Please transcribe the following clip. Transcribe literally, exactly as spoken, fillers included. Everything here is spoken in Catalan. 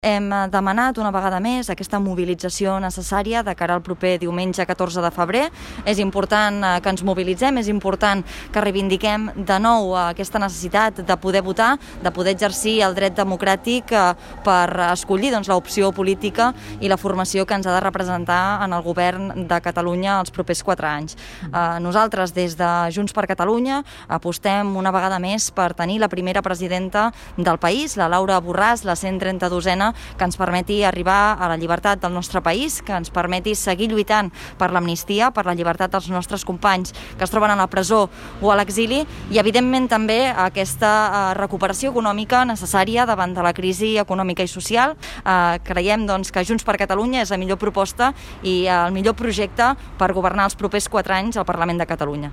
Hem demanat una vegada més aquesta mobilització necessària de cara al proper diumenge catorze de febrer. És important que ens mobilitzem, és important que reivindiquem de nou aquesta necessitat de poder votar, de poder exercir el dret democràtic per escollir doncs, l'opció política i la formació que ens ha de representar en el govern de Catalunya els propers quatre anys. Nosaltres, des de Junts per Catalunya, apostem una vegada més per tenir la primera presidenta del país, la Laura Borràs, la cent trenta-dosena, que ens permeti arribar a la llibertat del nostre país, que ens permeti seguir lluitant per l'amnistia, per la llibertat dels nostres companys que es troben a la presó o a l'exili i, evidentment, també aquesta recuperació econòmica necessària davant de la crisi econòmica i social. Eh, creiem doncs, que Junts per Catalunya és la millor proposta i el millor projecte per governar els propers quatre anys al Parlament de Catalunya.